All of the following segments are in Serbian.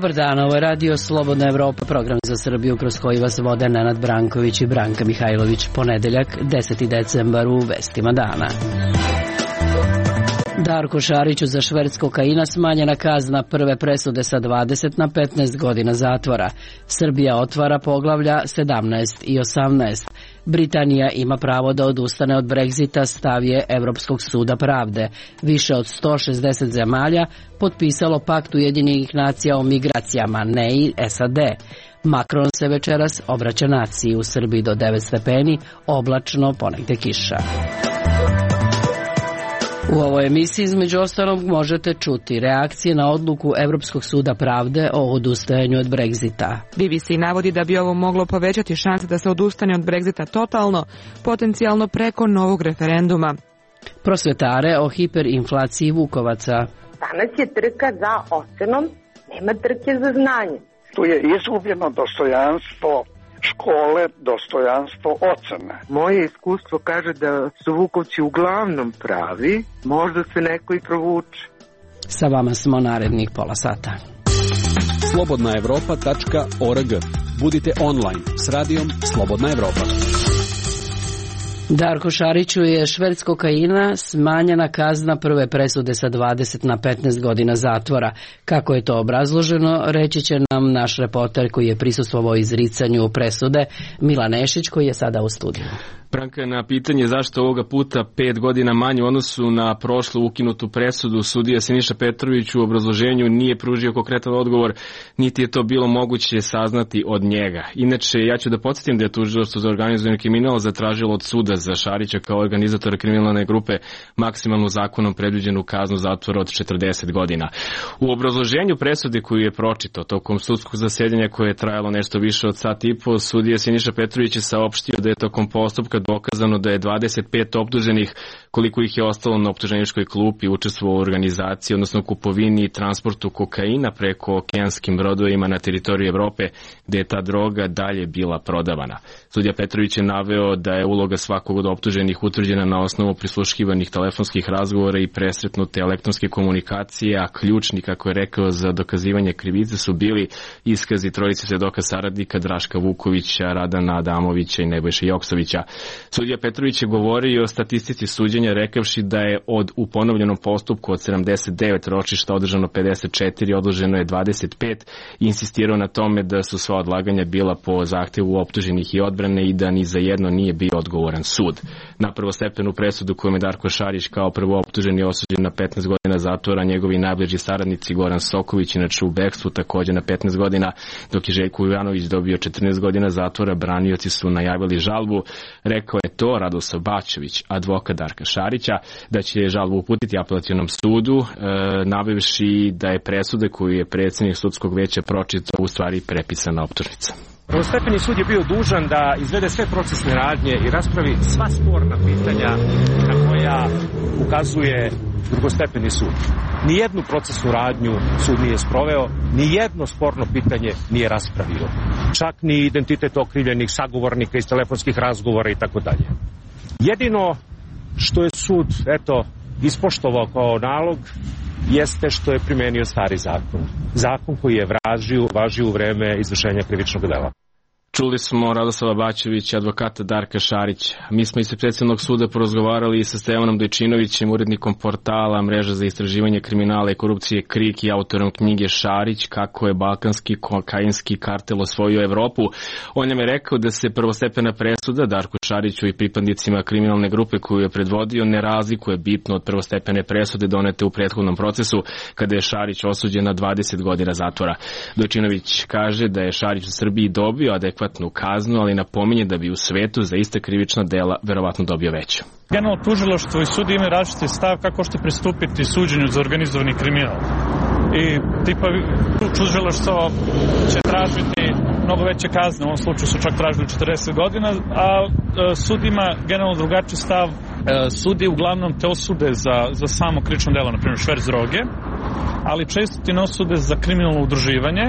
Dobar dan, ovo je Radio Slobodna Evropa, program za Srbiju kroz koji vas vode Nenad Branković i Branka Mihajlović. Ponedeljak, 10. decembar u vestima dana. Darku Šariću za šverc kokaina smanjena kazna prve presude sa 20 na 15 godina zatvora. Srbija otvara poglavlja 17 i 18. Britanija ima pravo da odustane od Brexita, stav je Evropskog suda pravde. Više od 160 zemalja potpisalo pakt Ujedinjenih nacija o migracijama, ne i SAD. Macron se večeras obraća naciji, u Srbiji do 9 stepeni, oblačno, ponegde kiša. U ovoj emisiji između ostalog možete čuti reakcije na odluku Evropskog suda pravde o odustajanju od Brexita. BBC navodi da bi ovo moglo povećati šanse da se odustane od Brexita totalno, potencijalno preko novog referenduma. Prosvetare o hiperinflaciji vukovaca. Danas je trka za ocenom, nema trke za znanje. Tu je izgubljeno dostojanstvo škole, dostojanstvo ocena. Moje iskustvo kaže da su Vukovci uglavnom pravi, možda se neko i provuče. Sa vama smo narednih pola sata. slobodnaevropa.org. Budite online s radijom Slobodna Evropa. Darku Šariću je šverc kokaina smanjena kazna prve presude sa 20 na 15 godina zatvora. Kako je to obrazloženo, reći će nam naš reporter koji je prisustvovao izricanju presude, Milan Nešić, koji je sada u studiju. Branka, na pitanje zašto ovoga puta 5 godina manje u odnosu na prošlu ukinutu presudu, sudija Siniša Petrović u obrazloženju nije pružio konkretan odgovor, niti je to bilo moguće saznati od njega. Inače, ja ću da podsjetim da je Tužilaštvo za organizovani kriminal zatražilo od suda za Šarića kao organizatora kriminalne grupe maksimalnu zakonom predviđenu kaznu zatvora od 40 godina. U obrazloženju presude koju je pročitao tokom sudskog zasedanja koje je trajalo nešto više od sat i po, sudija Siniša Petrović je saopštio da je tokom postupka dokazano da je 25 optuženih, koliko ih je ostalo na optuženičkoj klupi, učestvovalo u organizaciji, odnosno kupovini i transportu kokaina preko okeanskim brodovima na teritoriji Evrope, gde je ta droga dalje bila prodavana. Sudija Petrović je naveo da je uloga svakog od optuženih utvrđena na osnovu prisluškivanih telefonskih razgovora i presretnute elektronske komunikacije, a ključni, kako je rekao, za dokazivanje krivice su bili iskazi trojice svedoka saradnika Draška Vukovića, Radana Adamovića i Nebojše Joksovića. Sudija Petrović je govorio o statistici suđenja, rekavši da je u ponovljenom postupku od 79 ročišta održano 54, odloženo je 25 i insistirao na tome da su sva odlaganja bila po zahtevu optuženih i odbrane i da ni za jedno nije bio odgovoran sud. Na prvostepenu presudu kojom je Darko Šarić kao prvo optuženi osuđen na 15 godina zatvora, njegovi najbliži saradnici Goran Soković, inače u bekstvu, također na 15 godina, dok je Željko Ivanović dobio 14 godina zatvora, branioci su najavili žalbu. Rekao je to Radoslav Bačević, advokat Darka Šarića, da će žalbu uputiti apelacionom sudu, navevši da je presuda koju je predsjednik sudskog veća pročitao u stvari prepisana optužnica. Prvostepeni sud je bio dužan da izvede sve procesne radnje i raspravi sva sporna pitanja na koja ukazuje drugostepeni sud. Nijednu procesnu radnju sud nije sproveo, nijedno sporno pitanje nije raspravio. Čak ni identitet okrivljenih, sagovornika iz telefonskih razgovora i tako dalje. Jedino što je sud, ispoštovao kao nalog, jeste što je primenio stari zakon. Zakon koji je važio u vreme izvršenja krivičnog dela. Čuli smo Radoslava Bačevića, advokata Darka Šarića. Mi smo ispred predsjednog suda porozgovarali sa Stevanom Dojčinovićem, urednikom portala Mreža za istraživanje kriminala i korupcije KRIK i autorom knjige Šarić, kako je balkanski kokainski kartel osvojio Evropu. On nam je rekao da se prvostepena presuda Darku Šariću i pripadnicima kriminalne grupe koju je predvodio ne razlikuje bitno od prvostepene presude donete u prethodnom procesu kada je Šarić osuđen na 20 godina zatvora. Dojčinović kaže da je Šarić u Srbiji dobio adekvatnu kaznu, ali napominje da bi u svetu za ista krivična dela verovatno dobio veću. Generalno tužilaštvo i sud imaju različiti stav kako ćete pristupiti suđenju za organizovani kriminal. I tužilaštvo će tražiti mnogo veće kazne, u ovom slučaju su čak tražili 40 godina, a sud ima generalno drugačiji stav. Sudi uglavnom te osude za samo krivično delo, na primjer šverc droge, ali često ti ne osude za kriminalno udruživanje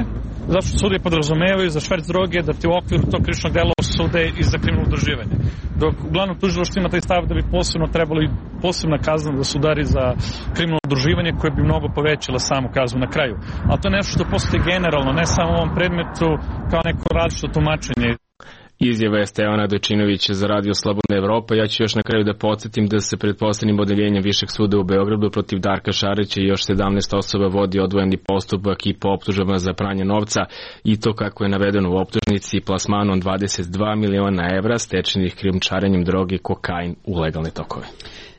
Zašto sudije podrazumevaju za šverc droge da ti u okviru tog krivičnog dela osude i za kriminalno udruživanje. Dok uglavnom tužilaštvo ima taj stav da bi posebno trebalo i posebna kazna da se udari za kriminalno udruživanje koje bi mnogo povećala samu kaznu na kraju. Ali to je nešto što postoji generalno, ne samo u ovom predmetu kao neko različito tumačenje. Izjava je Stevana Dojčinovića za Radio Slobodna Evropa. Ja ću još na kraju da podsjetim da se pred poslednjim odeljenjem Višeg suda u Beogradu protiv Darka Šarića i još 17 osoba vodi odvojeni postupak i po optužbama za pranje novca, i to kako je navedeno u optužnici plasmanom 22 miliona evra stečenih krijumčarenjem droge, kokain u legalne tokove.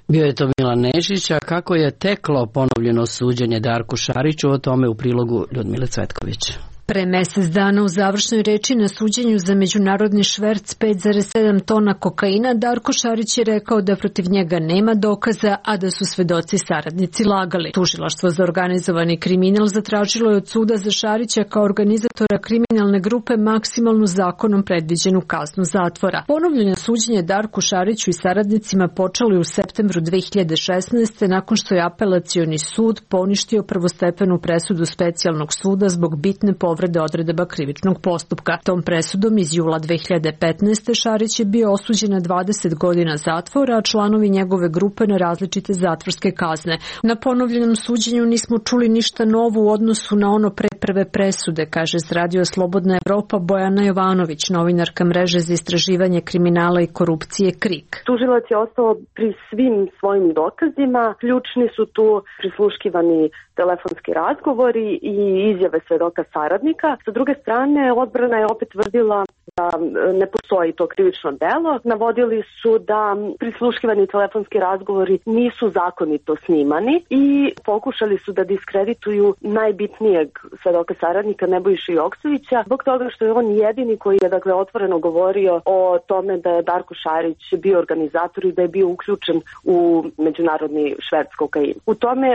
Bio je to Milan Nešić, a kako je teklo ponovljeno suđenje Darku Šariću, o tome u prilogu Ljudmile Cvetković. Pre mesec dana u završnoj reči na suđenju za međunarodni šverc 5,7 tona kokaina, Darko Šarić je rekao da protiv njega nema dokaza, a da su svedoci saradnici lagali. Tužilaštvo za organizovani kriminal zatražilo je od suda za Šarića kao organizatora kriminalne grupe maksimalnu zakonom predviđenu kaznu zatvora. Ponovljeno suđenje Darku Šariću i saradnicima počelo je u septembru 2016. nakon što je apelacioni sud poništio prvostepenu presudu specijalnog suda zbog bitne povrede odredaba krivičnog postupka. Tom presudom iz jula 2015. Šarić je bio osuđen na 20 godina zatvora, a članovi njegove grupe na različite zatvorske kazne. Na ponovljenom suđenju nismo čuli ništa novo u odnosu na ono pre prve presude, kaže s Radio Slobodna Evropa Bojana Jovanović, novinarka mreže za istraživanje kriminala i korupcije KRIK. Tužilac je ostao pri svim svojim dokazima. Ključni su tu prisluškivani telefonski razgovori i izjave svedoka saradnika. Sa druge strane, odbrana je opet tvrdila da ne postoji to krivično delo. Navodili su da prisluškivani telefonski razgovori nisu zakonito snimani i pokušali su da diskredituju najbitnijeg svedoka saradnika Nebojšu Joksovića zbog toga što je on jedini koji je otvoreno govorio o tome da je Darko Šarić bio organizator i da je bio uključen u međunarodni šverc kokaina. U tome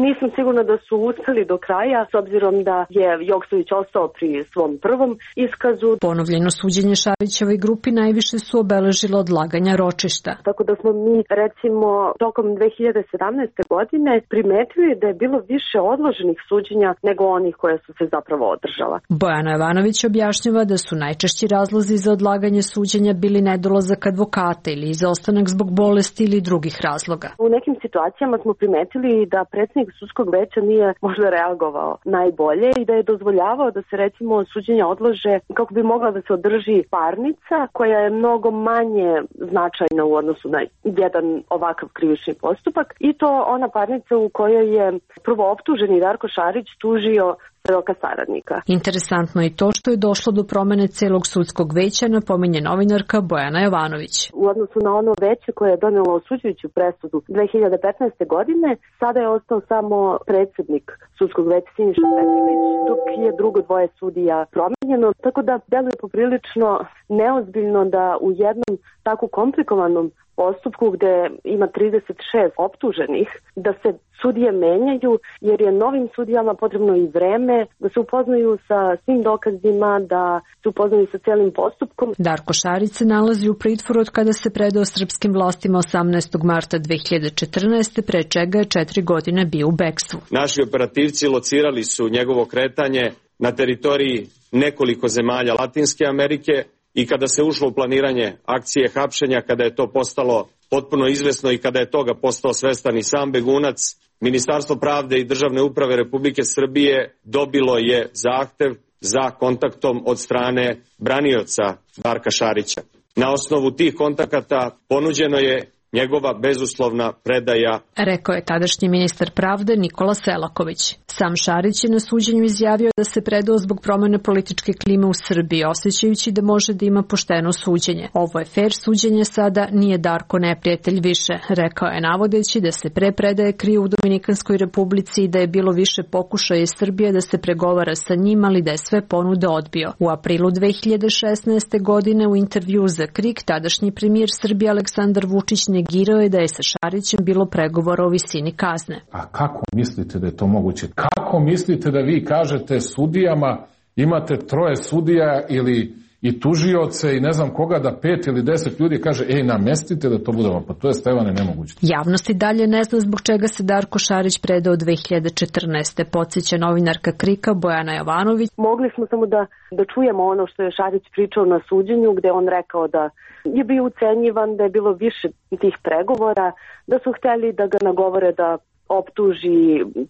nisam sigurna da su uspeli do kraja, s obzirom da je Joksović ostao pri svom prvom iskazu. Ponovljeno suđenje Šarićevoj grupi najviše su obeležilo odlaganja ročišta. Tako da smo mi, recimo, tokom 2017. godine primetili da je bilo više odloženih suđenja nego onih koje su se zapravo održala. Bojana Jovanović objašnjava da su najčešći razlozi za odlaganje suđenja bili nedolazak advokata ili izostanak zbog bolesti ili drugih razloga. U nekim situacijama smo primetili da predsjednik sudskog veća nije možda reagovao najbolje i da je dozvoljavao da se recimo suđenja odlože kako bi mogla da se održi parnica koja je mnogo manje značajna u odnosu na jedan ovakav krivični postupak, i to ona parnica u kojoj je prvo optuženi Darko Šarić tužio svedoka saradnika. Interesantno je to što je došlo do promene celog sudskog veća, napominje novinarka Bojana Jovanović. U odnosu na ono veće koje je donelo osuđujuću presudu 2015. godine, sada je ostao samo predsjednik sudskog veća Siniša Petrović, dok je drugo dvoje sudija promenjeno, tako da deluje poprilično neozbiljno da u jednom tako komplikovanom postupku gde ima 36 optuženih, da se sudije menjaju, jer je novim sudijama potrebno i vreme da se upoznaju sa svim dokazima, da se upoznaju sa celim postupkom. Darko Šarić se nalazi u pritvoru od kada se predao srpskim vlastima 18. marta 2014. pre čega je 4 godine bio u bekstvu. Naši operativci locirali su njegovo kretanje na teritoriji nekoliko zemalja Latinske Amerike, i kada se ušlo u planiranje akcije hapšenja, kada je to postalo potpuno izvesno i kada je toga postao svestan i sam begunac, Ministarstvo pravde i državne uprave Republike Srbije dobilo je zahtev za kontaktom od strane branioca Darka Šarića. Na osnovu tih kontakata ponuđeno je njegova bezuslovna predaja, rekao je tadašnji ministar pravde Nikola Selaković. Sam Šarić je na suđenju izjavio da se predao zbog promene političke klime u Srbiji, osjećajući da može da ima pošteno suđenje. Ovo je fair suđenje sada, nije Darko neprijatelj više, rekao je navodeći da se pre predaje krio u Dominikanskoj republici i da je bilo više pokušaja iz Srbije da se pregovara sa njim, ali da je sve ponude odbio. U aprilu 2016. godine u intervju za KRIK tadašnji premijer Srbije Aleksandar Vučić negirao je da je sa Šarićem bilo pregovora o visini kazne. A kako mislite da je to moguće? Kako mislite da vi kažete sudijama, imate 3 sudija ili i tužioce i ne znam koga da 5 ili 10 ljudi kaže namestite da to budemo, pa to je Stevane nemoguće. Javnost i dalje ne zna zbog čega se Darko Šarić predao 2014. Podsjeća novinarka KRIK-a Bojana Jovanović. Mogli smo samo da čujemo ono što je Šarić pričao na suđenju, gde on rekao da je bio ucenjivan, da je bilo više tih pregovora, da su hteli da ga nagovore da optuži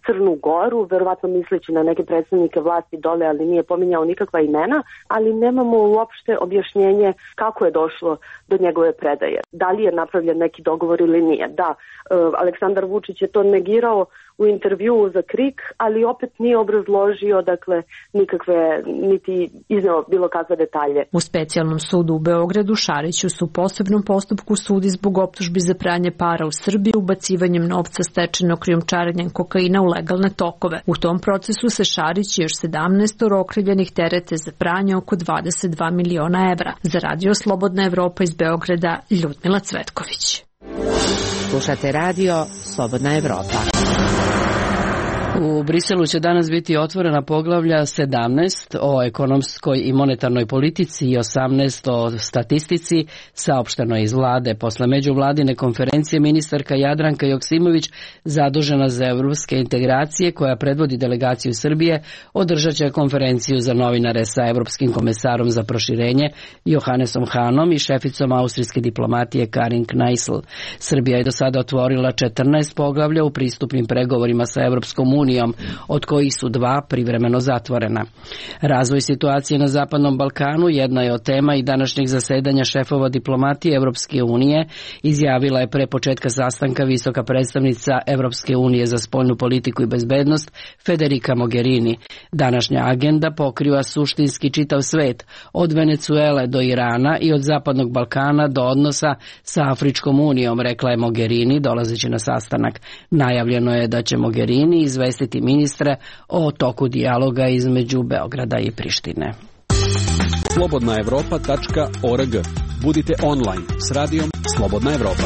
Crnu Goru, verovatno misleći na neke predstavnike vlasti dole, ali nije pominjao nikakva imena, ali nemamo uopšte objašnjenje kako je došlo do njegove predaje. Da li je napravljen neki dogovor ili nije? Da, Aleksandar Vučić je to negirao u intervjuu za KRIK, ali opet nije obrazložio, dakle, nikakve, niti izneo bilo kakve detalje. U specijalnom sudu u Beogradu Šariću su u posebnom postupku sudi zbog optužbi za pranje para u Srbiji ubacivanjem novca stečenog krijumčarenjem kokaina u legalne tokove. U tom procesu se Šarić i još 17 okrivljenih terete za pranje oko 22 miliona evra. Za Radio Slobodna Evropa iz Beograda, Ljudmila Cvetković. Slušate Radio Slobodna Evropa. U Briselu će danas biti otvorena poglavlja 17 o ekonomskoj i monetarnoj politici i 18 o statistici, saopšteno iz vlade. Posle međuvladine konferencije ministarka Jadranka Joksimović, zadužena za evropske integracije, koja predvodi delegaciju Srbije, održat će konferenciju za novinare sa evropskim komesarom za proširenje Johannesom Hanom i šeficom austrijske diplomatije Karin Kneissl. Srbija je do sada otvorila 14 poglavlja u pristupnim pregovorima sa Evropskom unijom, od kojih su 2 privremeno zatvorena. Razvoj situacije na Zapadnom Balkanu jedna je od tema i današnjeg zasedanja šefova diplomatije Evropske unije, izjavila je pre početka sastanka visoka predstavnica Evropske unije za spoljnu politiku i bezbednost Federica Mogherini. Današnja agenda pokriva suštinski čitav svet, od Venecuele do Irana i od Zapadnog Balkana do odnosa sa Afričkom unijom, rekla je Mogherini dolazeći na sastanak. Najavljeno je da će Mogherini izvestiti ministre o toku dijaloga između Beograda i Prištine. Slobodnaevropa.org. Budite online s radijom Slobodna Evropa.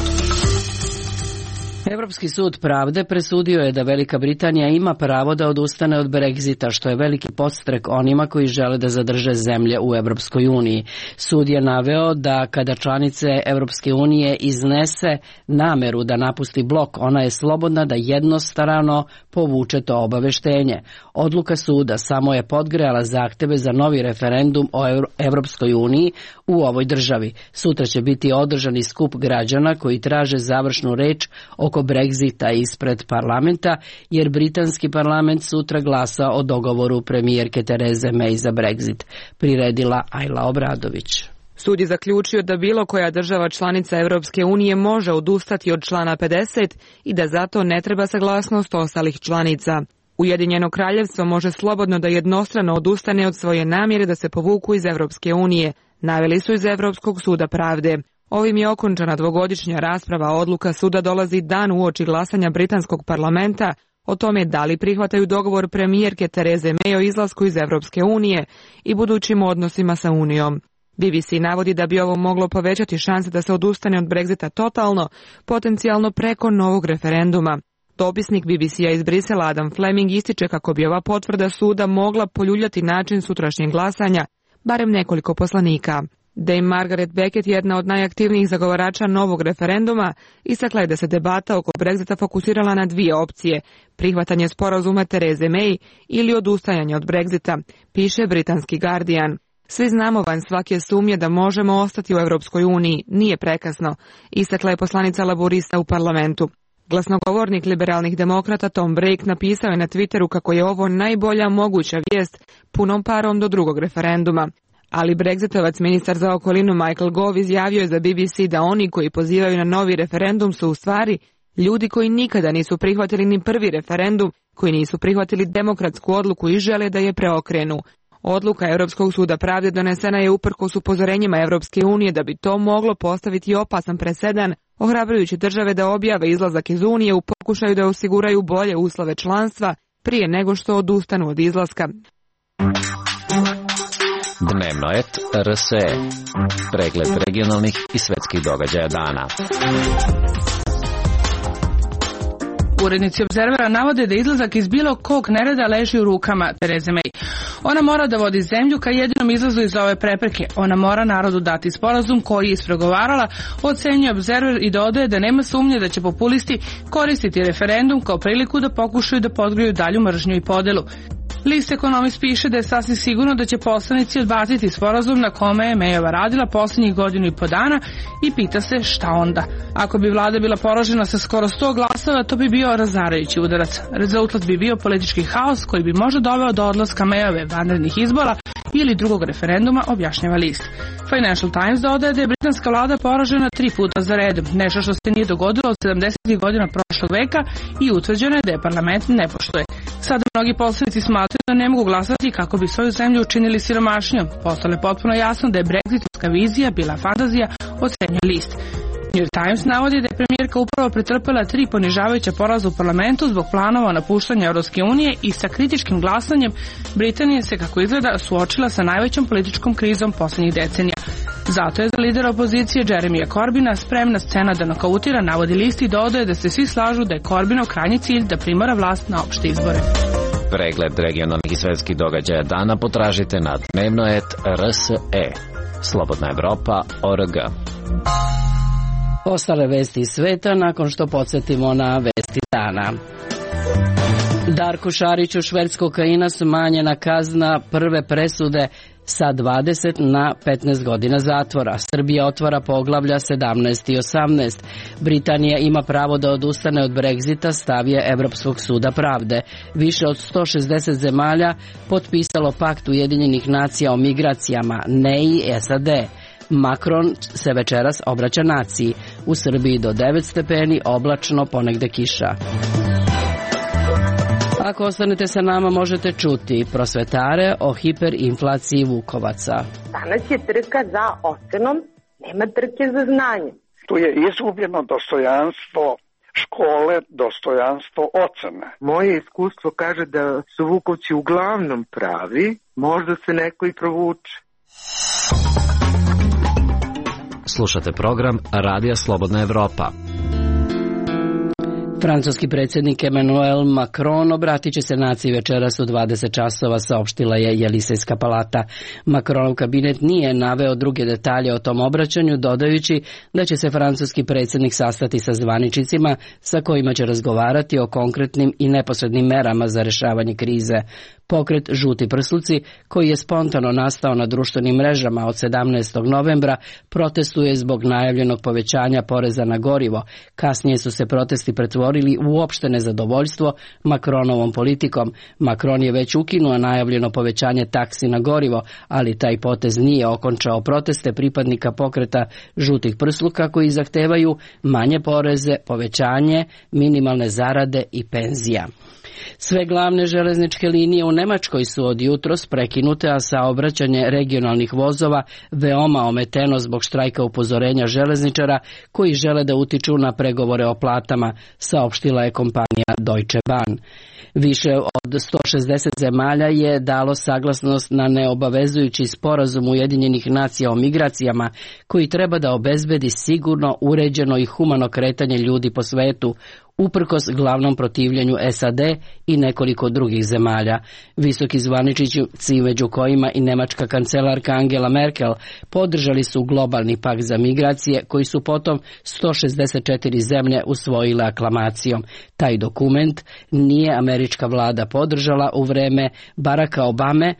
Evropski sud pravde presudio je da Velika Britanija ima pravo da odustane od Brexita, što je veliki podstrek onima koji žele da zadrže zemlje u Evropskoj uniji. Sud je naveo da kada članice Evropske unije iznese nameru da napusti blok, ona je slobodna da jednostrano povuče to obaveštenje. Odluka suda samo je podgrejala zahteve za novi referendum o Evropskoj uniji u ovoj državi. Sutra će biti održani skup građana koji traže završnu reč oko Brexita ispred parlamenta, jer britanski parlament sutra glasa o dogovoru premijerke Tereze May za Brexit, priredila Ajla Obradović. Sud je zaključio da bilo koja država članica Evropske unije može odustati od člana 50 i da zato ne treba saglasnost ostalih članica. Ujedinjeno kraljevstvo može slobodno da jednostrano odustane od svoje namjere da se povuku iz Evropske unije, naveli su iz Evropskog suda pravde. Ovim je okončana dvogodišnja rasprava, odluka suda dolazi dan uoči glasanja britanskog parlamenta o tome da li prihvataju dogovor premijerke Tereze May o izlasku iz Evropske unije i budućim odnosima sa Unijom. BBC navodi da bi ovo moglo povećati šanse da se odustane od Brexita totalno, potencijalno preko novog referenduma. Dopisnik BBC-a iz Brisela Adam Fleming ističe kako bi ova potvrda suda mogla poljuljati način sutrašnjeg glasanja, barem nekoliko poslanika. Dame Margaret Beckett, jedna od najaktivnijih zagovarača novog referenduma, istakla je da se debata oko Brexita fokusirala na 2 opcije, prihvatanje sporazuma Tereze May ili odustajanje od Brexita, piše britanski Guardian. Svi znamo van svake sumnje da možemo ostati u Europskoj uniji, nije prekasno, istakla je poslanica laborista u parlamentu. Glasnogovornik liberalnih demokrata Tom Brake napisao je na Twitteru kako je ovo najbolja moguća vijest punom parom do drugog referenduma. Ali Brexitovac ministar za okolinu Michael Gove izjavio je za BBC da oni koji pozivaju na novi referendum su u stvari ljudi koji nikada nisu prihvatili ni prvi referendum, koji nisu prihvatili demokratsku odluku i žele da je preokrenu. Odluka Europskog suda pravde donesena je uprkos upozorenjima Europske unije da bi to moglo postaviti opasan presedan, ohrabrujući države da objave izlazak iz Unije u pokušaju da osiguraju bolje uslove članstva prije nego što odustanu od izlaska. Dnevnoet RSE. Pregled regionalnih i svetskih događaja dana. Urednici Obzervera navode da izlazak iz bilo kog nereda leži u rukama Tereze May. Ona mora da vodi zemlju ka jedinom izlazu iz ove prepreke. Ona mora narodu dati sporazum koji je ispregovarala, ocenjuje Observer i dodaje da nema sumnje da će populisti koristiti referendum kao priliku da pokušaju da podgriju dalju mržnju i podelu. List Economist piše da je sasvim sigurno da će poslanici odbaciti sporazum na kome je Mayova radila posljednjih 1.5 godina i pita se šta onda. Ako bi vlada bila poražena sa skoro 100 glasova, to bi bio razarajući udarac. Rezultat bi bio politički haos koji bi možda doveo do odlaska Mayove, vanrednih izbora ili drugog referenduma, objašnjava list. Financial Times dodaje da je britanska vlada poražena 3 puta za redom, nešto što se nije dogodilo od 70. godina prošlog veka i utvrđeno je da je parlament ne poštuje. Sada mnogi poslanici smatraju da ne mogu glasati kako bi svoju zemlju učinili siromašnijom. Postalo je potpuno jasno da je brexitovska vizija bila fantazija, ocenjuje list. New York Times navodi da je premijerka upravo pretrpela 3 ponižavajuća poraza u parlamentu zbog planova o napuštanju Europske unije i sa kritičkim glasanjem Britanija se, kako izgleda, suočila sa najvećom političkom krizom posljednjih decenija. Zato je za lidera opozicije Jeremija Corbina spremna scena da nokautira, navodi list i dodaje da se svi slažu da je Corbinov krajnji cilj da primora vlast na opšte izbore. Pregled regionalnih i svetskih događaja dana potražite na dnevnoet.rse. Slobodna Evropa.org. Ostale vesti iz sveta nakon što podsjetimo na vesti dana. Darku Šariću, šverc kokaina, smanjena kazna prve presude sa 20 na 15 godina zatvora. Srbija otvara poglavlja 17 i 18. Britanija ima pravo da odustane od Brexita, stav je Evropskog suda pravde. Više od 160 zemalja potpisalo pakt Ujedinjenih nacija o migracijama, ne i SAD. Macron se večeras obraća naciji. U Srbiji do 9 stepeni, oblačno, ponegde kiša. Ako ostanete sa nama, možete čuti prosvetare o hiperinflaciji vukovaca. Danas je trka za ocenom, nema trke za znanje. Tu je izgubljeno dostojanstvo škole, dostojanstvo ocena. Moje iskustvo kaže da su vukovci uglavnom pravi, možda se neko i provuče. Slušate program Radija Slobodna Evropa. Francuski predsjednik Emmanuel Macron obratit će se naciji večeras u 20 časova, saopštila je Jelisejska palata. Macronov kabinet nije naveo druge detalje o tom obraćanju, dodajući da će se francuski predsjednik sastati sa zvaničnicima sa kojima će razgovarati o konkretnim i neposrednim merama za rješavanje krize. Pokret Žuti prsluci, koji je spontano nastao na društvenim mrežama od 17. novembra, protestuje zbog najavljenog povećanja poreza na gorivo. Kasnije su se protesti pretvorili u uopšte nezadovoljstvo Macronovom politikom. Macron je već ukinuo najavljeno povećanje taksi na gorivo, ali taj potez nije okončao proteste pripadnika pokreta Žutih prsluka koji zahtevaju manje poreze, povećanje minimalne zarade i penzija. Sve glavne železničke linije u Nemačkoj su od jutros prekinute, a saobraćanje regionalnih vozova veoma ometeno zbog štrajka upozorenja železničara koji žele da utiču na pregovore o platama, saopštila je kompanija Deutsche Bahn. Više od 160 zemalja je dalo saglasnost na neobavezujući sporazum Ujedinjenih nacija o migracijama koji treba da obezbedi sigurno, uređeno i humano kretanje ljudi po svetu, uprkos glavnom protivljenju SAD i nekoliko drugih zemalja. Visoki zvaničnici, među kojima i nemačka kancelarka Angela Merkel, podržali su globalni pakt za migracije koji su potom 164 zemlje usvojile aklamacijom. Taj dokument nije američka vlada podržala u vreme Baracka Obame.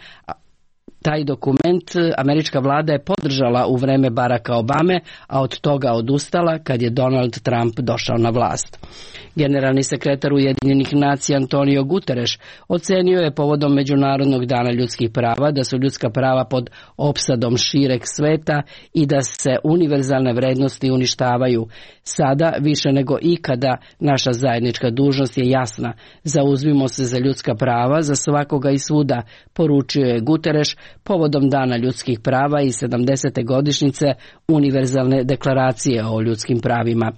Taj dokument američka vlada je podržala u vreme Baracka Obame, a od toga odustala kad je Donald Trump došao na vlast. Generalni sekretar Ujedinjenih nacija Antonio Guterres ocenio je povodom Međunarodnog dana ljudskih prava da su ljudska prava pod opsadom šireg sveta i da se univerzalne vrednosti uništavaju. Sada, više nego ikada, naša zajednička dužnost je jasna. Zauzmimo se za ljudska prava, za svakoga i svuda, poručio je Guterres povodom Dana ljudskih prava i 70. godišnjice Univerzalne deklaracije o ljudskim pravima.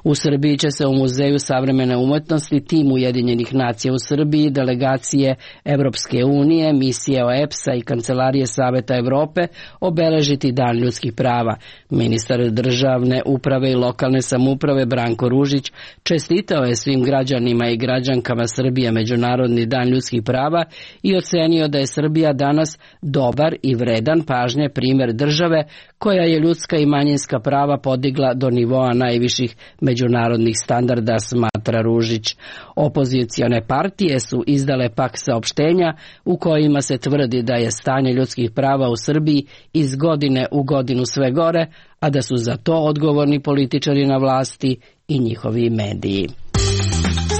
U Srbiji će se u Muzeju savremene umetnosti tim Ujedinjenih nacija u Srbiji, delegacije Evropske unije, misije OEBS-a i Kancelarije Saveta Evrope obeležiti Dan ljudskih prava. Ministar državne uprave i lokalne samouprave Branko Ružić čestitao je svim građanima i građankama Srbije Međunarodni dan ljudskih prava i ocenio da je Srbija danas dobar i vredan pažnje primjer države koja je ljudska i manjinska prava podigla do nivoa najviših međunarodnih standarda, smatra Ružić. Opozicione partije su izdale pak saopštenja u kojima se tvrdi da je stanje ljudskih prava u Srbiji iz godine u godinu sve gore, a da su za to odgovorni političari na vlasti i njihovi mediji.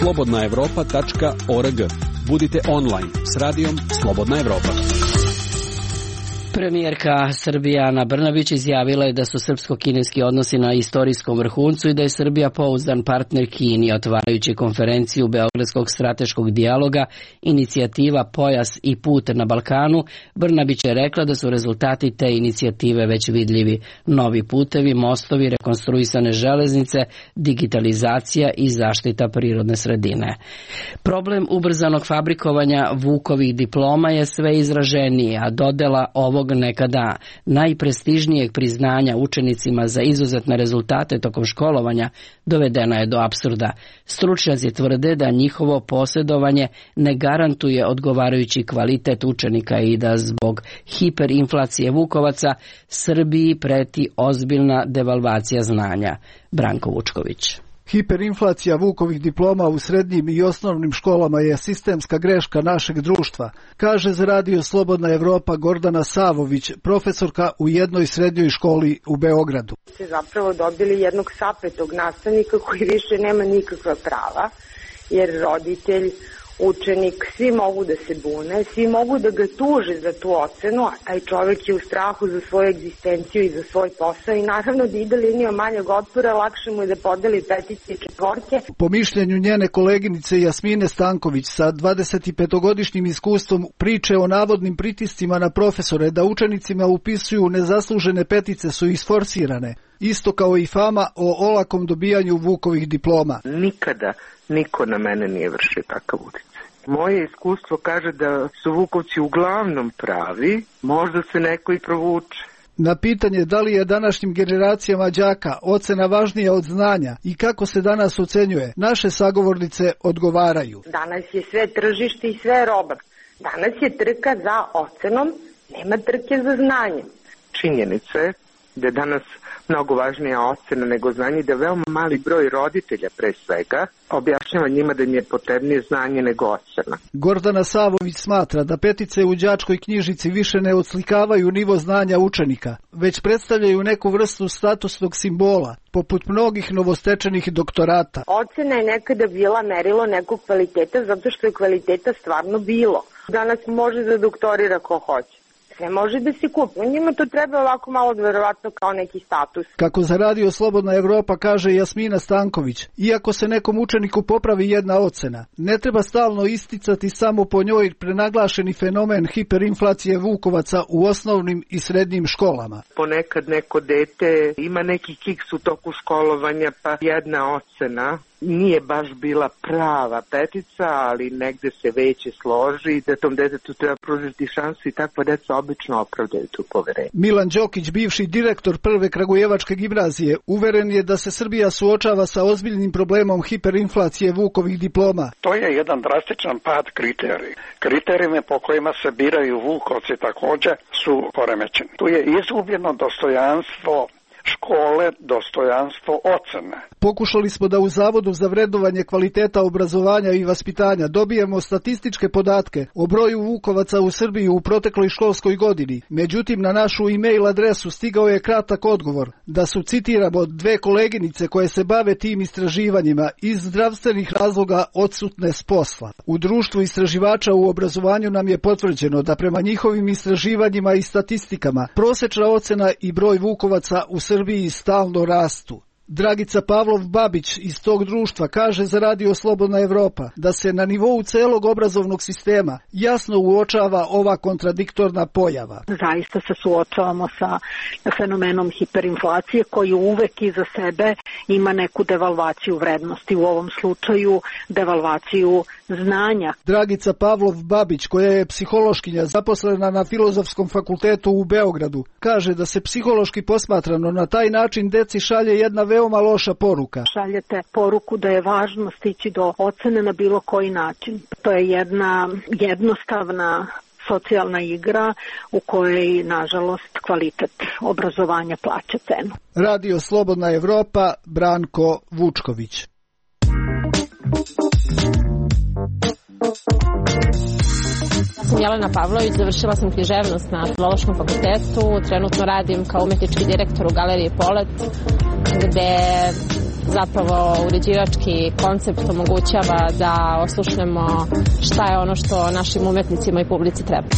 slobodnaevropa.org. Budite online s radijom Slobodna Evropa. Premijerka Srbije Ana Brnabić izjavila je da su srpsko-kineski odnosi na istorijskom vrhuncu i da je Srbija pouzdan partner Kini. Otvarajući konferenciju Beogradskog strateškog dijaloga inicijativa Pojas i put na Balkanu, Brnabić je rekla da su rezultati te inicijative već vidljivi. Novi putevi, mostovi, rekonstruisane železnice, digitalizacija i zaštita prirodne sredine. Problem ubrzanog fabrikovanja Vukovih diploma je sve izraženiji, a dodela ovog nekada najprestižnijeg priznanja učenicima za izuzetne rezultate tokom školovanja dovedena je do apsurda. Stručnjaci tvrde da njihovo posjedovanje ne garantuje odgovarajući kvalitet učenika i da zbog hiperinflacije vukovaca Srbiji preti ozbiljna devalvacija znanja. Branko Vučković. Hiperinflacija Vukovih diploma u srednjim i osnovnim školama je sistemska greška našeg društva, kaže za Radio Slobodna Evropa Gordana Savović, profesorka u jednoj srednjoj školi u Beogradu. Ste zapravo dobili jednog sapetog nastavnika koji više nema nikakva prava, jer roditelj, učenik, svi mogu da se bune, svi mogu da ga tuže za tu ocenu, a taj čovjek je u strahu za svoju egzistenciju i za svoj posao i naravno da ide linijom manjeg otpora, lakše mu je da podeli petice i četvorke. Po mišljenju njene koleginice Jasmine Stanković sa 25-godišnjim iskustvom priče o navodnim pritiscima na profesore da učenicima upisuju nezaslužene petice su isforsirane, isto kao i fama o olakom dobijanju Vukovih diploma. Nikada niko na mene nije vršio takav utjecaj. Moje iskustvo kaže da su Vukovci uglavnom pravi, možda se neko i provuče. Na pitanje da li je današnjim generacijama đaka ocena važnija od znanja i kako se danas ocenjuje, naše sagovornice odgovaraju. Danas je sve tržište i sve roba. Danas je trka za ocenom, nema trke za znanjem. Činjenica je da je danas mnogo važnija ocena nego znanje, da veoma mali broj roditelja pre svega objašnjava njima da im je potrebnije znanje nego ocena. Gordana Savović smatra da petice u đačkoj knjižici više ne odslikavaju nivo znanja učenika, već predstavljaju neku vrstu statusnog simbola, poput mnogih novostečenih doktorata. Ocena je nekada bila merilo nekog kvaliteta zato što je kvaliteta stvarno bilo. Danas može da doktorira ko hoće. Sve može da se kupi. Njima to treba ovako malo verovatno kao neki status. Kako za Radio Slobodna Evropa kaže Jasmina Stanković, iako se nekom učeniku popravi jedna ocena, ne treba stalno isticati samo po njoj prenaglašeni fenomen hiperinflacije vukovaca u osnovnim i srednjim školama. Ponekad neko dete ima neki kiks u toku školovanja, pa jedna ocena nije baš bila prava petica, ali negde se veće složi da tom detetu treba pružiti šansu i takva deca obično opravdaju tu poverenje. Milan Đokić, bivši direktor Prve Kragujevačke gimnazije, uveren je da se Srbija suočava sa ozbiljnim problemom hiperinflacije Vukovih diploma. To je jedan drastičan pad kriterija. Kriterijumi po kojima se biraju Vukovci također su poremećeni. Tu je izgubljeno dostojanstvo škole, dostojanstvo ocena. Pokušali smo da u Zavodu za vrednovanje kvaliteta obrazovanja i vaspitanja dobijemo statističke podatke o broju Vukovaca u Srbiji u protekloj školskoj godini. Međutim, na našu e-mail adresu stigao je kratak odgovor da su, citiramo, dve koleginice koje se bave tim istraživanjima iz zdravstvenih razloga odsutne s posla. U društvu istraživača u obrazovanju nam je potvrđeno da prema njihovim istraživanjima i statistikama prosečna ocena i broj Vukovaca u Srbiji stalno rastu. Dragica Pavlov-Babić iz tog društva kaže za Radio Slobodna Evropa da se na nivou celog obrazovnog sistema jasno uočava ova kontradiktorna pojava. Zaista se suočavamo sa fenomenom hiperinflacije koji uvek iza sebe ima neku devalvaciju vrednosti, u ovom slučaju devalvaciju znanja. Dragica Pavlov-Babić, koja je psihološkinja zaposlena na Filozofskom fakultetu u Beogradu, kaže da se psihološki posmatrano na taj način deci šalje jedna veoma loša poruka. Šaljete poruku da je važno stići do ocene na bilo koji način. To je jedna jednostavna socijalna igra u kojoj, nažalost, kvalitet obrazovanja plaća cenu. Radio Slobodna Evropa, Branko Vučković. Sam Jelena Pavlović, završila sam književnost na Filološkom fakultetu, trenutno radim kao umetnički direktor u Galeriji Polet, gde zapravo uređivački koncept omogućava da oslušnemo šta je ono što našim umetnicima i publici treba.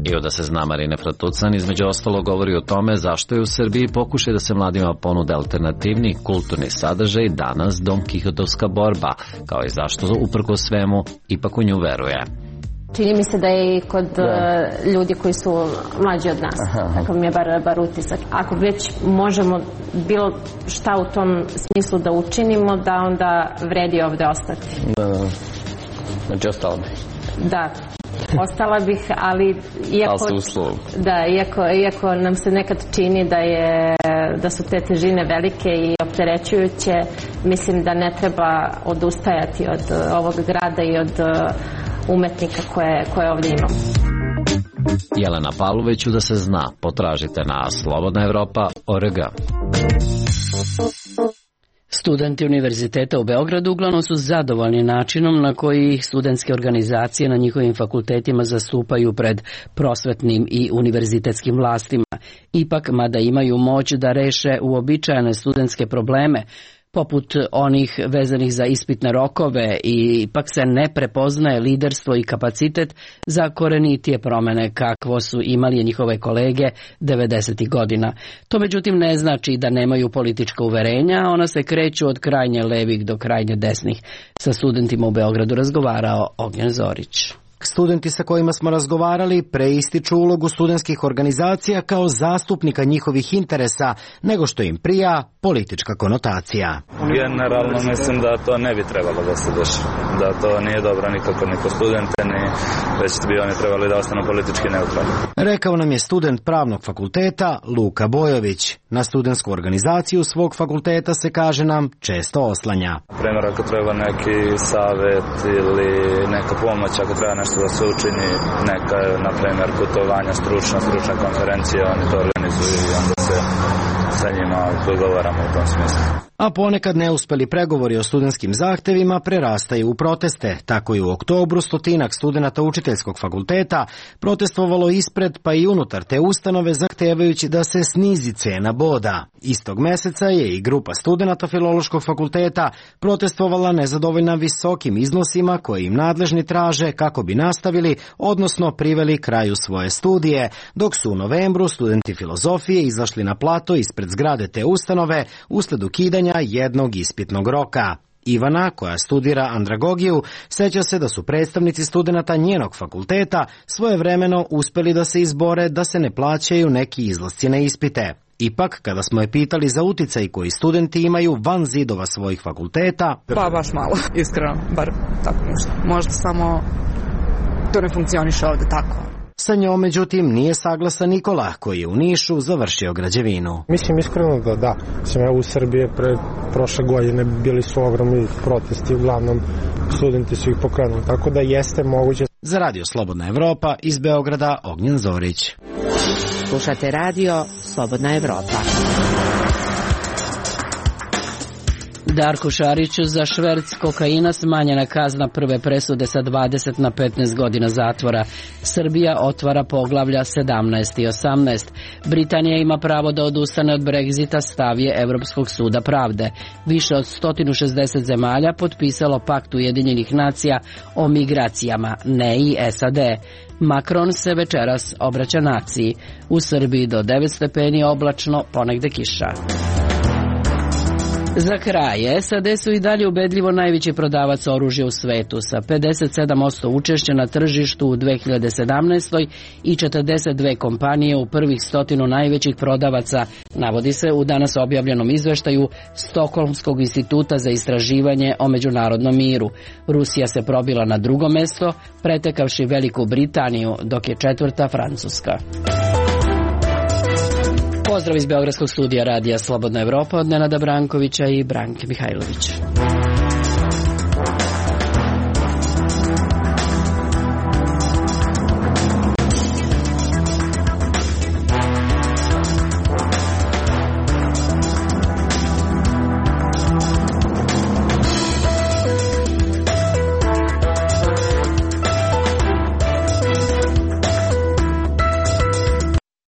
I da se zna Marina Fratucan između ostalo govori o tome zašto je u Srbiji pokušaj da se mladima ponude alternativni kulturni sadržaj danas Don Kihotovska borba, kao i zašto uprkos svemu ipak u nju veruje. Čini mi se da je i kod ljudi koji su mlađi od nas, tako mi je bar utisak. Ako već možemo bilo šta u tom smislu da učinimo, da onda vredi ovde ostati. Znači ostala bi. Da. Ostala bih, ali iako nam se nekad čini da su te težine velike i opterećujuće, mislim da ne treba odustajati od ovog grada i od umetnika koje ovdje imamo. Jelena Pavloviću da se zna, potražite na slobodnaevropa.org. Studenti Univerziteta u Beogradu uglavnom su zadovoljni načinom na koji ih studentske organizacije na njihovim fakultetima zastupaju pred prosvetnim i univerzitetskim vlastima. Ipak, mada imaju moć da reše uobičajene studentske probleme, poput onih vezanih za ispitne rokove, i ipak se ne prepoznaje liderstvo i kapacitet za korenitije promene kakvo su imali njihove kolege 90. godina. To međutim ne znači da nemaju politička uverenja, ona se kreću od krajnje levih do krajnje desnih. Sa studentima u Beogradu razgovarao Ognjen Zorić. Studenti sa kojima smo razgovarali preističu ulogu studentskih organizacija kao zastupnika njihovih interesa, nego što im prija politička konotacija. Generalno mislim da to ne bi trebalo da se dešava, da to nije dobro nikako ni po studente, ni već bi oni trebali da ostanu politički neutralni. Rekao nam je student pravnog fakulteta Luka Bojović. Na studentsku organizaciju svog fakulteta se, kaže nam, često oslanja. Na primjer, ako treba neki savet ili neka pomoć, ako treba nešto da se učini, neka, na primjer, putovanja, stručne konferencije, oni to organizuju i onda se sa njima dogovaramo u tom smislu. A ponekad neuspeli pregovori o studentskim zahtevima prerastaju u proteste. Tako i u oktobru 100 studenata učiteljskog fakulteta protestovalo ispred pa i unutar te ustanove zahtevajući da se snizi cena boda. Istog meseca je i grupa studenata Filološkog fakulteta protestovala nezadovoljna visokim iznosima koje im nadležni traže kako bi nastavili, odnosno priveli kraju svoje studije, dok su u novembru studenti filozofije izašli na plato ispred zgrade te ustanove usled ukidanja jednog ispitnog roka. Ivana, koja studira andragogiju, seća se da su predstavnici studenata njenog fakulteta svojevremeno uspeli da se izbore da se ne plaćaju neki izlasci na ispite. Ipak, kada smo je pitali za uticaj koji studenti imaju van zidova svojih fakulteta... Pa baš malo, iskreno, bar tako nešto. Možda samo to ne funkcioniše ovde tako. Sa njom, međutim, nije saglasan Nikola, koji je u Nišu završio građevinu. Mislim iskreno da. U Srbiji prošle godine bili su ogromni protesti, uglavnom studenti su ih pokrenuli, tako da jeste moguće. Za Radio Slobodna Evropa iz Beograda, Ognjen Zorić. Slušate Radio Slobodna Evropa. Darku Šariću za šverc kokaina smanjena kazna prve presude sa 20 na 15 godina zatvora. Srbija otvara poglavlja 17 i 18. Britanija ima pravo da odustane od Brexita, stav je Evropskog suda pravde. Više od 160 zemalja potpisalo pakt Ujedinjenih nacija o migracijama, ne i SAD. Macron se večeras obraća naciji. U Srbiji do 9 stepeni oblačno, ponegde kiša. Za kraj, SAD su i dalje ubedljivo najveći prodavac oružja u svetu sa 57% učešća na tržištu u 2017. i 42 kompanije u prvih 100 najvećih prodavaca, navodi se u danas objavljenom izveštaju Stokholmskog instituta za istraživanje o međunarodnom miru. Rusija se probila na drugo mesto, pretekavši Veliku Britaniju, dok je četvrta Francuska. Pozdrav iz Beogradskog studija radija Slobodna Evropa od Nenada Brankovića i Branke Mihajlović.